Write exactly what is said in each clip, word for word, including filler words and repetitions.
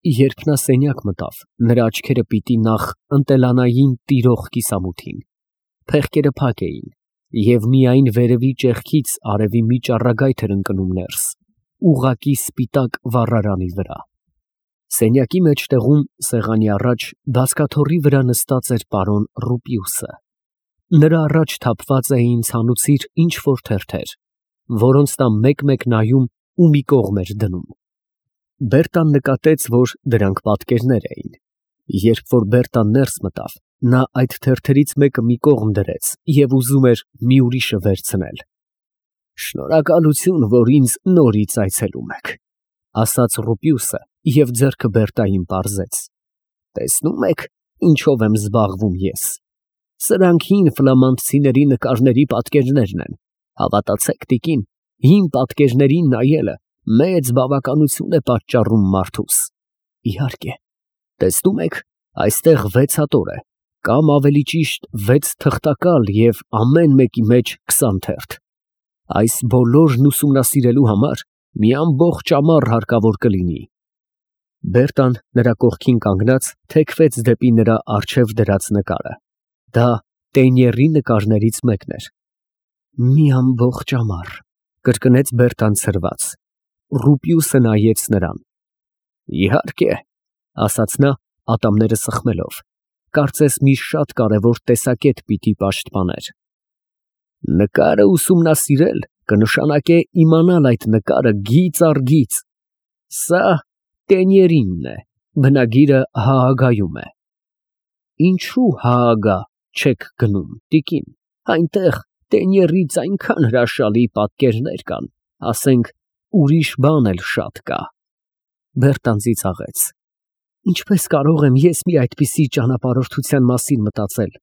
Երբ նա սենյակ մտավ, նրա աչքերը պիտի նախ ընտելանային տիրող կիսամութին, փեղկերը փակ էին, և միայն վերևի ճեղքից արևի մի ճառագայթ էր ընկնում ներս, ուղղակի սպիտակ վառարանի վրա։ Սենյակի մեջտեղում, սեղանի առաջ, բազկաթոռի վրա նստած էր պարոն Ռուպիուսը։ Նրա առաջ թափված էին ցանուցիր ինչ֊որ թերթեր, որոնց նա մեկ֊մեկ նայում ու մի կողմ էր դնում։ Բերտան նկատեց, որ դրանք պատկերներ էին։ Երբ որ Բերտան ներս մտավ, նա այդ թերթերից մեկը մի կողմ դրեց և ուզում էր մի ուրիշը վերցնել։ «Շնորհակալություն, որ ինձ նորից այցելում եք», ֊ ասաց Ռուպիուսը և ձեռքը Բերտային պարզեց։ «Տեսնում եք, ինչով եմ զբաղվում ես։ Սրանք հին ֆլամանդցիների նկարների պատկերներն են։ Հավատացեք, տիկին, հին պատկերներին նայելը մեծ բավականություն է պատճառում մարդուս։ Իհարկե, տեսնում եք, այստեղ վեց հատոր է, կամ ավելի ճիշտ վեց թղթակալ և ամեն մեկի մեջ քսան թերթ։ Այս բոլորն ուսումնասիրելու համար մի ամբողջ ամառ հարկավոր կլինի»։ Բերտան նրա կողքին կանգնած թեքվեց դեպի նրա առջև դրած նկարը։ Դա Տենյերի նկարներից մեկն էր։ «Մի ամբողջ ամառ», ֊ կրկնեց Բերտան ցրված։ Ռուպիուսը նայեց նրան։ «Իհարկե», ֊ ասաց նա, ատամները սխմելով, կարծես մի շատ կարևոր տեսակետ պիտի պաշտպաներ։ «Նկարը ուսումնասիրել կնշանակե իմանալ այդ նկարը գիծ առ գիծ։ Սա Տենյերինն է, բնագիրը Հաագայում է»։ «Ինչո՞ւ Հաագա չեք գնում, տիկին, այնտեղ Տենյերից այնքան հրաշալի պատկերներ կան, ասենք, ուրիշ բան էլ շատ կա»։ Բերտան ծիծաղեց։ «Ինչպես կարող եմ ես մի այդպիսի ճանապարհորդության մասին մտածել»։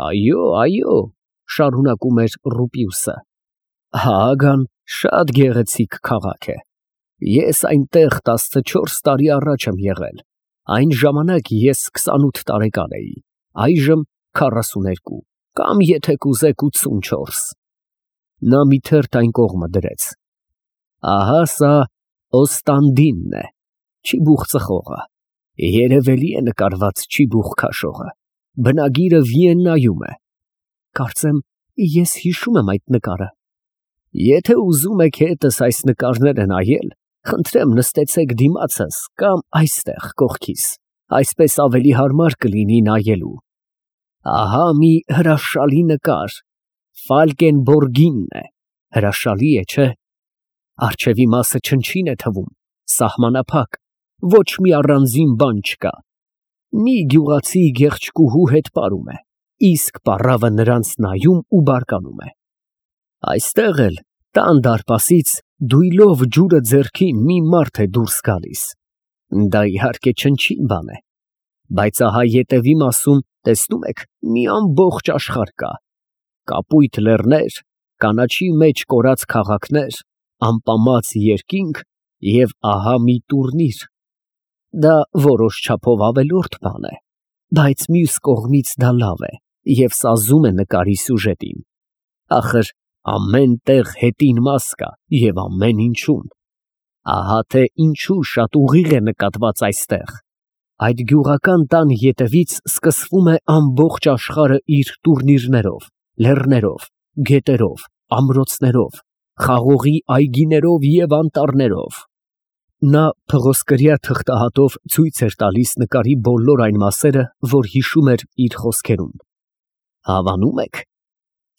«Այո, այո», ֊ շարունակում էր Ռուպիուսը, «Հաագան շատ գեղեցիկ քաղաք է։ Ես այնտեղ տասնչորս տարի առաջ եմ եղել, այն ժամանակ ես քսանութ տարեկան էի, այժմ քառասուներկու, կամ եթե կուզեք ութսունչորս»։ Նա մի թերթ այն կողմը դրեց։ «Ահա սա Օստանդինն է, ճիբուխ ծխողը, երևելի է նկարված ճիբուխ քաշողը, բնագիրը Վիեննայում է։ Կարծեմ, ես հիշում եմ այդ նկարը։ Եթե ուզում եք հետս այս նկարները նայել, խնդրեմ նստեցեք դիմացս կամ այստեղ կողքիս, այսպես ավելի հարմար կլինի նայելու։ Ահա մի հրաշալի նկար, Ֆալկենբորգինն է, հրաշալի է, չէ՞։ Առջևի մասը չնչին է թվում, սահմանափակ, ոչ մի առանձին բան չկա։ Մի գյուղացի գեղեցկուհու հետ պարում է, իսկ պառավը նրանց նայում ու բարկանում է։ Այստեղ էլ տան դարպասից դույլով ջուրը ձեռքին մի մարդ է դուրս գալիս։ Դա իհարկե չնչին բան է, բայց ահա ետևի մասում, տեսնում եք, մի ամբողջ աշխարհ կա. կապույտ լեռներ, կանաչի մեջ կորած քաղաքներ, ամպամած երկինք և ահա մի տուրնիր։ Դա որոշ չափով ավելորդ բան է, բայց մյուս կողմից դա լավ է և սազում է նկարի սյուժետին։ Ախր ամեն տեղ հետին մաս կա և ամեն ինչում։ Ահա թե ինչու շատ ուղիղ է նկատված այստեղ։ Այդ գյուղական տան ետևից սկսվում է ամբողջ աշխարհը իր տուրնիրներով, լեռներով, գետերով, ամրոցներով, խաղողի այգիներով և անտառներով։ Նա փղոսկրյա թղթահատով ցույց էր տալիս նկարի բոլոր այն մասերը, որ հիշում էր իր խոսքերում։ Հավանում եք,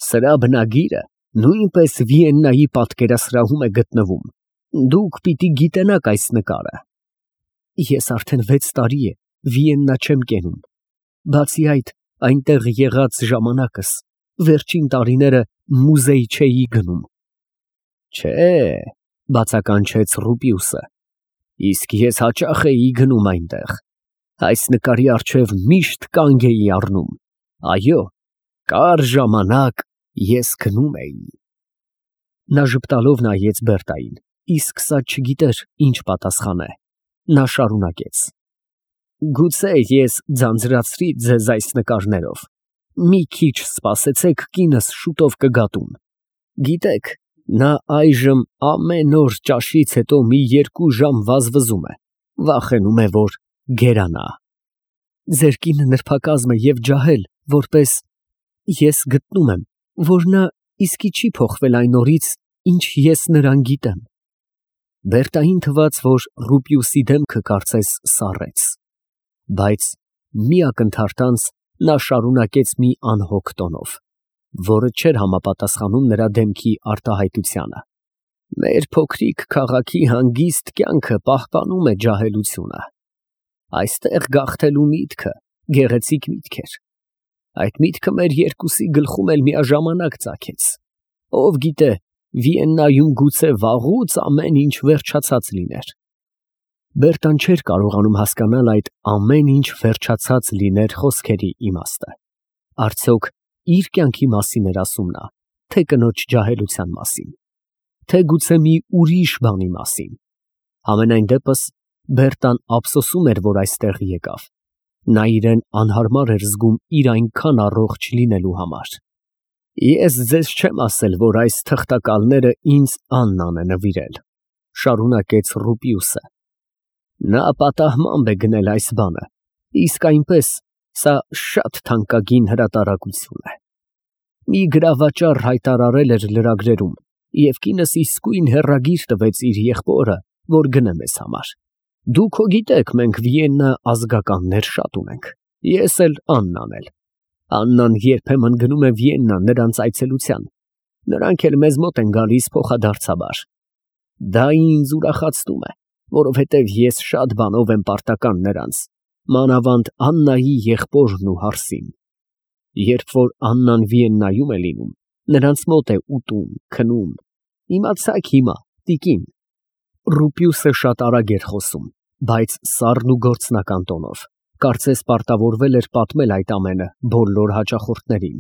սրա բնագիրը նույնպես Վիեննայի պատկերասրահում է գտնվում։ Դուք պիտի գիտենաք այս նկարը։ Ես արդեն վեց տարի է Վիեննա չեմ կենում։ Բացի այդ, այնտեղ եղած ժամանակս վերջին տարիները մուզեյ չէի գնում։ Չէ, բացականչեց Ռուպիուսը, իսկ ես հաճախ էի գնում այնտեղ։ Այս նկարի առջև միշտ կանգ էի առնում։ Այո, կար ժամանակ ես գնում էի։ Նա ժպտալով նայեց Բերտային, իսկ սա չգիտեր ինչ պատասխաներ։ Նա շարունակեց. Գուցե ես ձանձրացրի ձեզ այս նկարներով։ Մի քիչ սպասեցեք, կինս շուտով կգա տուն։ Գիտեք, նա այժմ ամեն օր ճաշից հետո մի երկու ժամ վազվզում է, վախենում է, որ գերանա։ Ձեր կինը նրբակազմ է և ջահել, որպես ես գտնում եմ, որ նա իսկի չի փոխվել այն օրից, ինչ ես նրան գիտեմ։ Բերտային թվաց, որ Ռուպիուսի դեմքը կարծես սառեց, բայց մի ակնթարթ անց նա շարունակեց մի անհոգ տոնով, որը չէր համապատասխանում նրա դեմքի արտահայտությանը. Մեր փոքրիկ քաղաքի հանգիստ կյանքը պահպանում է ջահելությունը։ Այստեղ գաղթելու միտքը գեղեցիկ միտք էր։ Այդ միտքը մեր երկուսի գլխում էլ միաժամանակ ծագեց։ Ով գիտե, Վիեննայում գուցե վաղուց ամեն ինչ վերջացած լիներ։ Բերտան չէր կարողանում հասկանալ այդ ամեն ինչ վերջացած լիներ խոսքերի իմաստը։ Արդյոք իր կյանքի մասին էր ասում նա, թե կնոջ ջահելության մասին, թե գուցե մի ուրիշ բանի մասին։ Համենայն դեպս Բերտան ափսոսում էր, որ այստեղ եկավ։ Նա իրեն անհարմար էր զգում իր այնքան առողջ լինելու համար։ Ես ձեզ չեմ ասել, որ այս թղթակալները ինձ Աննան է նվիրել, շարունակեց Ռուպիուսը։ Նա պատահմամբ է գնել այս բանը, իսկ այնպես սա շատ թանկագին հրատարակություն է։ Մի գրավաճառ հայտարարել էր լրագրերում, և կինս իսկույն հեռագիր տվեց իր եղբորը, որ գնե մեզ համար։ Դուք հո գիտեք, մենք Վիեննա ազգականներ շատ ունենք, ես էլ Աննան էլ։ Աննան երբեմն գնում է Վիեննա նրանց այցելության, նրանք էլ մեզ մոտ են գալիս փոխադարձաբար։ Դա ինձ ուրախացնում է, որովհետև ես շատ բանով եմ պարտական նրանց, մանավանդ Աննայի եղբորն ու հարսին։ Երբ որ Աննան Վիեննայում է լինում, նրանց մոտ է ուտում, քնում։ Իմացաք հիմա, տիկին։ Ռուպիուսը շատ արագ էր խոսում, բայց սառն ու գործնական տոնով, կարծես պարտավորվել էր պատմել այդ ամենը բոլոր հաճախորդներին։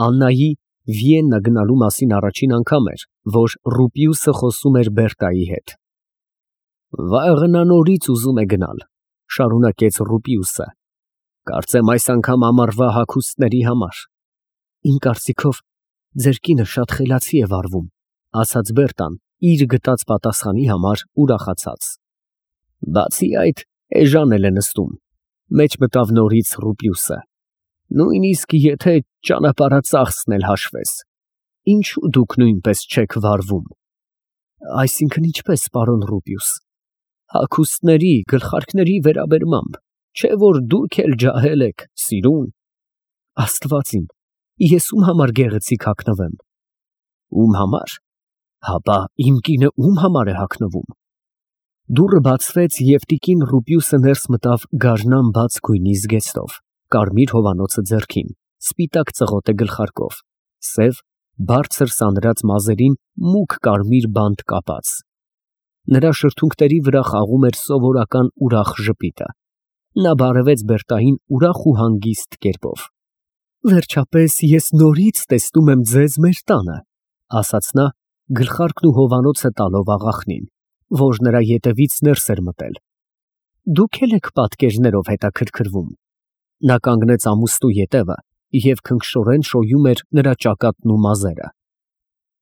Աննայի Վիեննա գնալու մասին առաջին անգամ էր, որ Ռուպիուսը խոսում էր Բերտայի հետ։ Վաղը նա նորից ուզում է գնալ, շարունակեց Ռուպիուսը։ Կարծեմ այս անգամ ամառվա հագուստների համար։ Իմ կարծիքով ձեր կինը շատ խելացի է վարվում, ասաց Բերտան, իր գտած պատասխանի համար ուրախացած։ Բացի այդ, էժան էլ է նստում, մեջ մտավ նորից Ռուպիուսը։ Նույնիսկ եթե ճանապարհածախսն էլ հաշվես, ինչու դուք նույնպես չեք վարվում։ Այսինքն ինչպես, պարոն Ռուպիուս, հագուստների, գլխարկների վերաբերմամբ, չէ որ դուք էլ ջահել եք, սիրուն։ Աստված իմ, ես ում համար գեղեցիկ հագնվեմ։ Ում համար։ Հապա իմ կինը ում համար է հագնվում։ Դուռը բացվեց և տիկին Ռուպիուսը ներս մտավ գարնան բաց գույնի զգեստով, կարմիր հովանոցը ձեռքին, սպիտակ ծղոտ է գլխարկով, սև, բարձր սանրած մազերին մուգ կարմիր բանտ կապած։ Նրա շրթունքների վրա խաղում էր սովորական ուրախ ժպիտը։ Նա բարևեց Բերտային ուրախ ու հանգիստ կերպով։ Վերջապես ես նորից տեսնում եմ ձեզ մեր տանը, ասաց նա, գլխարկն ու հովանոցը տալով աղախնին, որ նրա ետևից ներս էր մտել։ Դուք էլ եք պատկերներով հետաքրքրվում։ Նա կանգնեց ամուստու ետևը և քնքշորեն շոյում էր նրա ճակատն ու մազերը։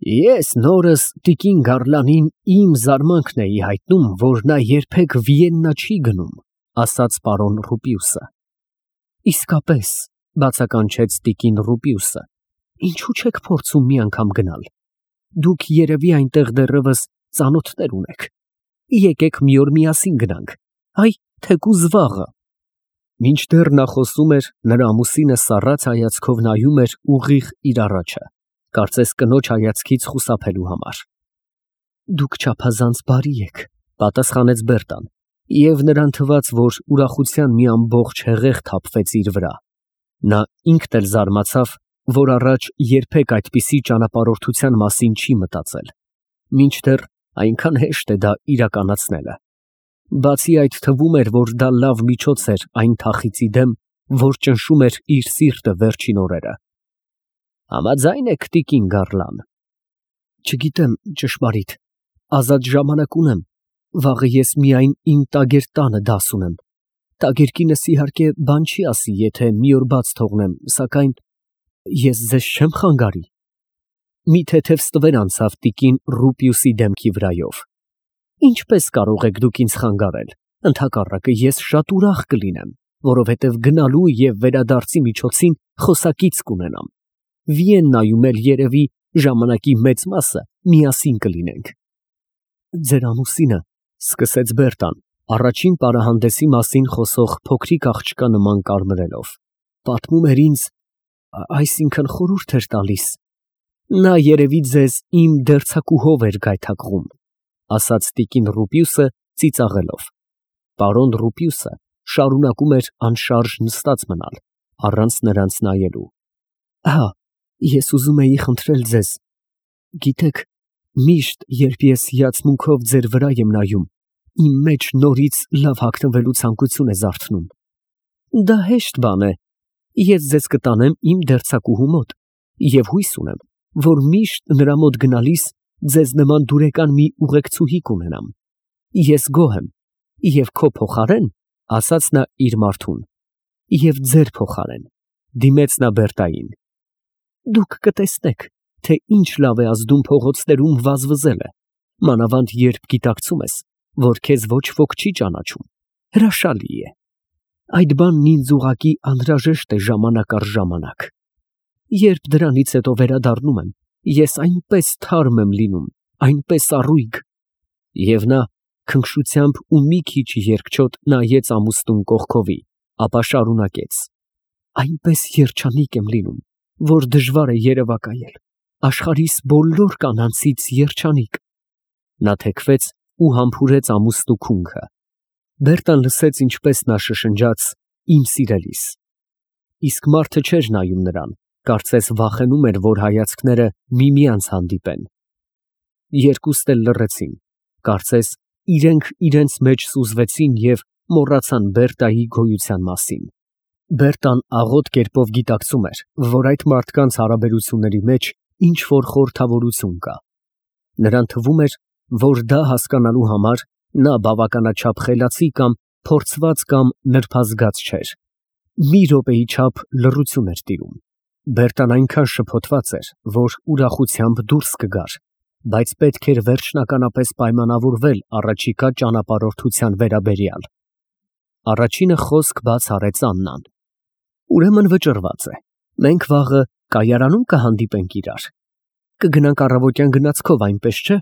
Ես նորս տիկին Գարլանին իմ զարմանքն էի հայտնում, որ նա երբեք Վիեննա չի գնում, ասաց պարոն Ռուպիուսը։ Իսկապես, բացականչեց տիկին Ռուպիուսը, ինչու չեք փորձում մի անգամ գնալ։ Դուք երևի այնտեղ դեռևս ծանոթներ ունեք։ Եկեք մի օր միասին գնանք, այ թեկուզ վաղը։ Մինչդեռ նա խոսում էր, նրա ամուսինը սառած հայացքով նայում էր ուղիղ իր առաջը, կարծես կնոջ հայացքից խուսափելու համար։ Դուք չափազանց բարի եք, պատասխանեց Բերտան, և նրան թվաց, որ ուրախության մի ամբողջ հեղեղ թափվեց իր վրա։ Նա ինքն էլ զարմացավ, որ առաջ երբեք այդպիսի ճանապարհորդության մասին չի մտածել, մինչդեռ այնքան հեշտ է դա իրականացնելը։ Բացի այդ թվում էր, որ դա լավ միջոց էր այն թախիծի դեմ, որ ճնշում էր իր սիրտը վերջին օրերը։ Համաձայն եք, տիկին Գարլան։ Չգիտեմ, ճշմարիտ, ազատ ժամանակ ունեմ, վաղը ես միայն իմ տագեր տանը դաս ունեմ։ Տագերկինս իհարկե բան չի ասի, եթե մի օր բաց թողնեմ, սակայն ես ձեզ չեմ խանգարի։ Մի թեթև ստվեր անցավ տիկին Ռուպիուսի դեմքի վրայով։ Ինչպես կարող եք դուք ինձ խանգարել։ Ընդհակառակը ես շատ ուրախ կլինեմ, որովհետև գնալու և վերադարձի միջոցին խոսակից կունենամ։ Վիեննայում էլ երևի ժամանակի մեծ մասը միասին կլինենք։ Ձեր ամուսինը, ֊ սկսեց Բերտան, առաջին պարահանդեսի մասին խոսող փոքրիկ աղջկա նման կարմրելով, պատմում էր ինձ, այսինքն խորհուրդ էր տալիս։ Նա երևի ձեզ իմ դերձակուհով էր գայթակղում, ֊ ասաց տիկին Ռուպիուսը ծիծաղելով։ Պարոն Ռուպիուսը շարունակում էր անշարժ նստած մնալ, առանց նրանց նայելու։ Ահա, ես ուզում էի խնդրել ձեզ, գիտեք, միշտ, երբ ես հիացմունքով ձեր վրա եմ նայում, իմ մեջ նորից լավ հագնվելու ցանկություն է զարթնում։ Դա հեշտ բան է։ Ես ձեզ կտանեմ իմ դերձակուհու մոտ և հույս ունեմ, որ միշտ նրա մոտ գնալիս ձեզ նման դուրեկան մի ուղեկցուհի կունենամ։ Ես գոհ եմ, և քո փոխարեն, ֊ ասաց նա իր մարդուն, ֊ և ձեր փոխարեն, դիմեց նա Բերտային, դուք կտեսնեք, թե ինչ լավ է ազդում փողոցներում վազվզելը, մանավանդ երբ գիտակցում ես, որ քեզ ոչ ոք չի ճանաչում, հրաշալի է։ Այդ բանն ինձ ուղղակի անհրաժեշտ է ժամանակ առ ժամանակ։ Երբ դրանից հետո վերադառնում եմ, ես այնպես թարմ եմ լինում, այնպես առույգ։ Եվ նա քնքշությամբ ու մի քիչ երկչոտ նայեց ամուսնուն կողքովի, ապա շարունակեց. այնպես երջանիկ եմ լինում, որ դժվար է երևակայել, աշխարհիս բոլոր կանանցից երջանիկ։ Նա թեքվեց ու համբուրեց ամուսնու քունքը։ Բերտան լսեց, ինչպես նա շշնջաց. իմ սիրելիս։ Իսկ մարդը չէր նայում նրան, կարծես վախենում էր, որ հայացքները միմյանց հանդիպեն։ Երկուստ էլ լռեցին, կարծես իրենք իրենց մեջ սուզվեցին և մոռացան Բերտայի գոյության մասին։ Բերտան աղոտ կերպով գիտակցում էր, որ այդ մարդկանց հարաբերությունների մեջ ինչ-որ խորհրդավորություն կա։ Նրան թվում էր, որ դա հասկանալու համար նա բավականաչափ խելացի կամ փորձված կամ նրբազգաց չէր։ Մի րոպեի չափ լռություն էր տիրում։ Բերտան այնքան շփոթված էր, որ ուրախությամբ դուրս կգար, բայց պետք էր վերջնականապես պայմանավորվել առաջիկա ճանապարհորդության վերաբերյալ։ Առաջինը խոսք բաց արեց Աննան. Ուրեմն վճռված է։ Մենք վաղը կայարանում կհանդիպենք իրար։ Կգնանք առավոտյան գնացքով, այնպես չէ։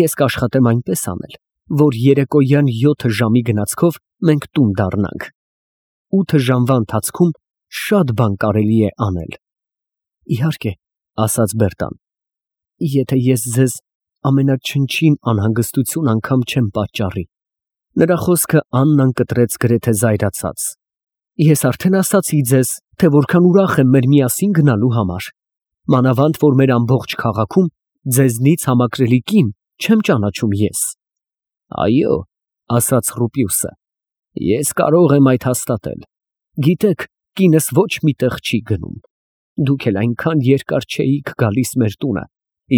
Ես կաշխատեմ այնպես անել, որ երեկոյան յոթ ժամի գնացքով մենք տուն դառնանք։ Ութ ժամվա ընթացքում շատ բան կարելի է անել։ Իհարկե, ֊ ասաց Բերտան, ֊ եթե ես ձեզ ամենաչնչին անհանգստություն անգամ չեմ պատճառի։ Նրա խոսքը Աննան կտրեց գրեթե զայրացած։ Ես արդեն ասացի ձեզ, թե որքան ուրախ եմ մեր միասին գնալու համար, մանավանդ որ մեր ամբողջ քաղաքում ձեզնից համակրելի կին չեմ ճանաչում ես։ Այո, ֊ ասաց Ռուպիուսը, ես կարող եմ այդ հաստատել։ Գիտեք, կինս ոչ մի տեղ չի գնում։ Դուք էլ այնքան երկար չէիք գալիս մեր տունը,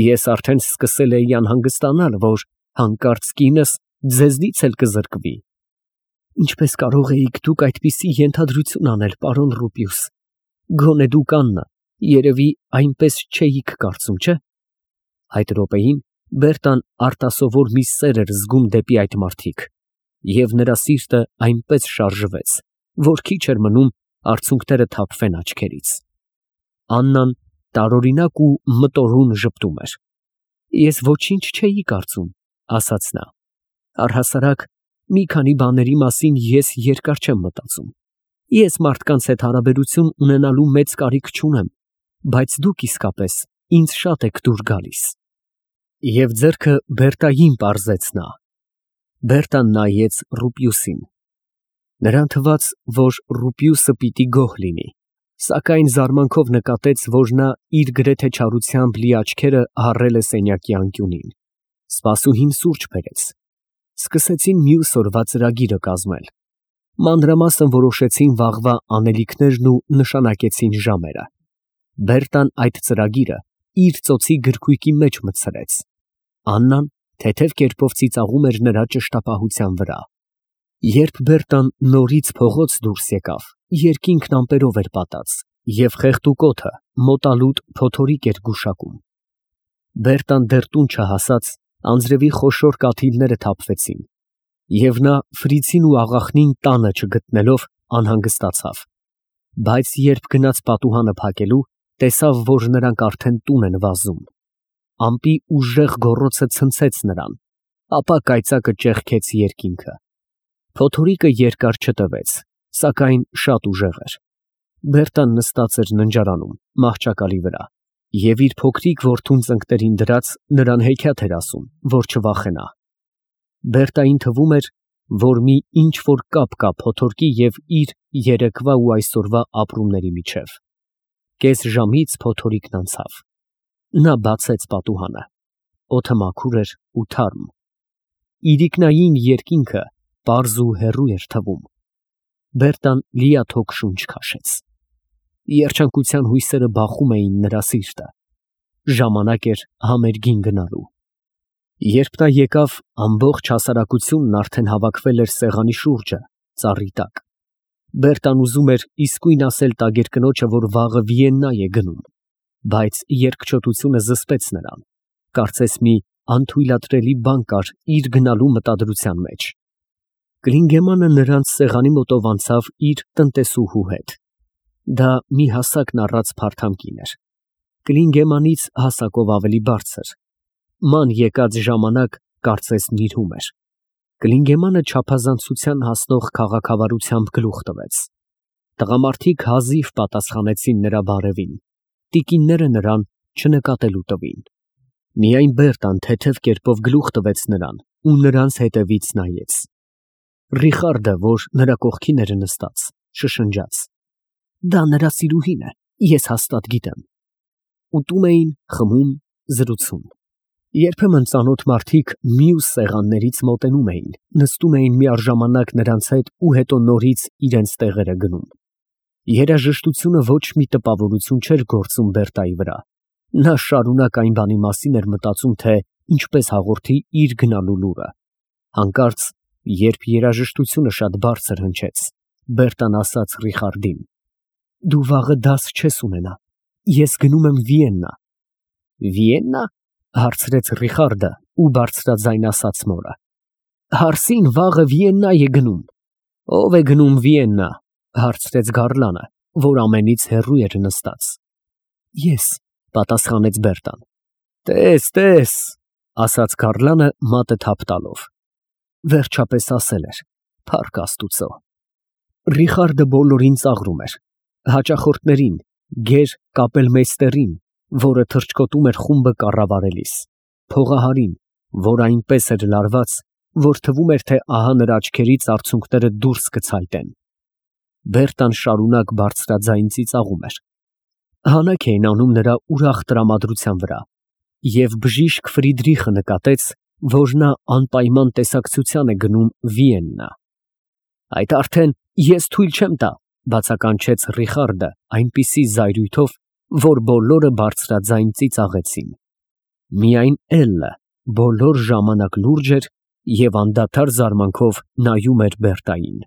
ես արդեն սկսել էի անհանգստանալ, որ հանկարծ կինս ձեզնից էլ կզրկվի։ Ինչպես կարող էիք դուք այդպիսի ենթադրություն անել, պարոն Ռուպիուս։ Գոնե դուք, Աննա, երևի այնպես չէիք կարծում, չէ՞։ Այդ րոպեին Բերտան արտասովոր մի սեր էր զգում դեպի այդ մարդիկ, և նրա սիրտը այնպես շարժվեց, որ քիչ էր մնում արցունքները թափվեն աչքերից։ Աննան տարօրինակ ու մտորուն ժպտում էր։ Ես ոչինչ չէի կարծում, ֊ ասաց նա։ Առհասարակ մի քանի բաների մասին ես երկար չեմ մտածում։ Ես մարդկանց հետ հարաբերություն ունենալու մեծ կարիք չունեմ, բայց դուք իսկապես ինձ շատ եք դուր գալիս։ Եվ ձեռքը Բերտային պարզեց նա։ Բերտան նայեց Ռուպիուսին։ Նրան թվաց, որ Ռուպիուսը պիտի գոհ լինի, սակայն զարմանքով նկատեց, որ նա իր գրեթե չարությամբ լի աչքերը հառել է սենյակի անկյունին։ Սպասուհին սուրճ բերեց։ Սկսեցին մյուս օրվա ծրագիրը կազմել։ Մանրամասն որոշեցին վաղվա անելիքներն ու նշանակեցին ժամերը։ Բերտան այդ ծրագիրը իր ծոցի գրքույկի մեջ մտցրեց։ Աննան թեթև կերպով ծիծաղում էր նրա ճշտապահության վրա։ Երբ Բերտան նորից փողոց դուրս եկավ, երկինքն ամպերով էր պատած, և խեղդուկոթը մոտալուտ փոթորիկ էր գուշակում։ Բերտան դեռ տուն չհասած Անձրևի խոշոր կաթիլները թափվեցին, և նա Ֆրիցին ու աղախնին տանը չգտնելով անհանգստացավ, բայց երբ գնաց պատուհանը փակելու, տեսավ, որ նրանք արդեն տուն են վազում։ Ամպի ուժեղ գոռոցը ցնցեց նրան, ապա կայծակը ճեղքեց երկինքը։ Փոթորիկը երկար չտևեց, սակայն շատ ուժեղ էր։ Բերտան նստած էր ննջարանում, մահճակալի վրա, և իր փոքրիկ որդուն ծնկներին դրած նրան հեքիաթ էր ասում, որ չվախենա։ Բերտային թվում էր, որ մի ինչ-որ կապ կա փոթորկի և իր երեկվա ու այսօրվա ապրումների միջև։ Կես ժամից փոթորիկն անցավ։ Նա բացեց պատուհանը։ Օդը մաքուր էր ու թարմ։ Իրիկնային երկինքը պարզ ու հեռու էր թվում։ Բերտան լիաթոք շունչ քաշեց։ Երջանկության հույսերը բախում էին նրա սիրտը։ Ժամանակ էր համերգին գնալու։ Երբ նա եկավ, ամբողջ հասարակությունն արդեն հավաքվել էր սեղանի շուրջը, ծառի տակ։ Բերտան ուզում էր իսկույն ասել տագիր կնոջը, որ վաղը Վիեննա է գնում, բայց երկչոտությունը զսպեց նրան, կարծես մի անթույլատրելի բան կար իր գնալու մտադրության մեջ։ Կլինգեմանը նրանց սեղանի մոտով անցավ իր տնտեսուհու հետ։ Դա մի հասակն առած փարթամ կին էր, Կլինգեմանից հասակով ավելի բարձր։ Ման եկած ժամանակ կարծես նիրհում էր։ Կլինգեմանը չափազանցության հասնող քաղաքավարությամբ գլուխ տվեց։ Տղամարդիկ հազիվ պատասխանեցին նրա բարևին, տիկինները նրան չնկատելու տվին։ Միայն Բերտան թեթև կերպով գլուխ տվեց նրան ու նրանց հետևից նայեց։ Ռիխարդը, որ նրա կողքին էր նստած, շշնջաց. «Դա նրա սիրուհին է, ես հաստատ գիտեմ»։ Ուտում էին, խմում, զրուցում։ Երբեմն ծանոթ մարդիկ մյուս սեղաններից մոտենում էին, նստում էին միաժամանակ նրանց հետ ու հետո նորից իրենց տեղերը գնում։ Երաժշտությունը ոչ մի տպավորություն չէր գործում Բերտայի վրա։ Նա շարունակ այն բանի մասին էր մտածում, թե ինչպես հաղորդի իր գնալու լուրը։ Հանկարծ, երբ երաժշտությունը շատ բարձր հնչեց, Բերտան ասաց Ռիխարդին. «Դու վաղը դաս չես ունենա, ես գնում եմ Վիեննա»։ «Վիեննա» հարցրեց Ռիխարդը ու բարձրաձայն ասաց մորը։ «Հարսին վաղը Վիեննա է գնում»։ «Ո՞վ է գնում Վիեննա» հարցրեց գարլանը, որ ամենից հեռու էր նստած։ «Ես», պատասխանեց Բերտան։ «Տես, տես», ասաց գարլանը մատը թափ տալով։ Վերջապես ասել էր. «Փառք Աստուծո»։ Ռիխարդը բոլորին ծաղրում էր, հաճախորդներին, գեր կապելմեյստերին, որը թռչկոտում էր խումբը կառավարելիս, փողահարին, որ այնպես էր լարված, որ թվում էր, թե ահա նրա աչքերից արցունքները դուրս կցայտեն։ Բերտան շարունակ բարձրաձայն ծիծաղում էր։ Հանակ էին անում նրա ուրախ տրամադրության վրա, և բժիշկ Ֆրիդրիխը նկատեց, որ նա անպայման տեսակցության է գնում Վիեննա։ «Այդ արդեն ես թույլ չեմ տա», բացականչեց Ռիխարդը այնպիսի զայրույթով, որ բոլորը բարձրաձայն ծիծաղեցին։ Միայն Էլլը բոլոր ժամանակ լուրջ էր և անդադար զարմանքով նայում էր Բերտային։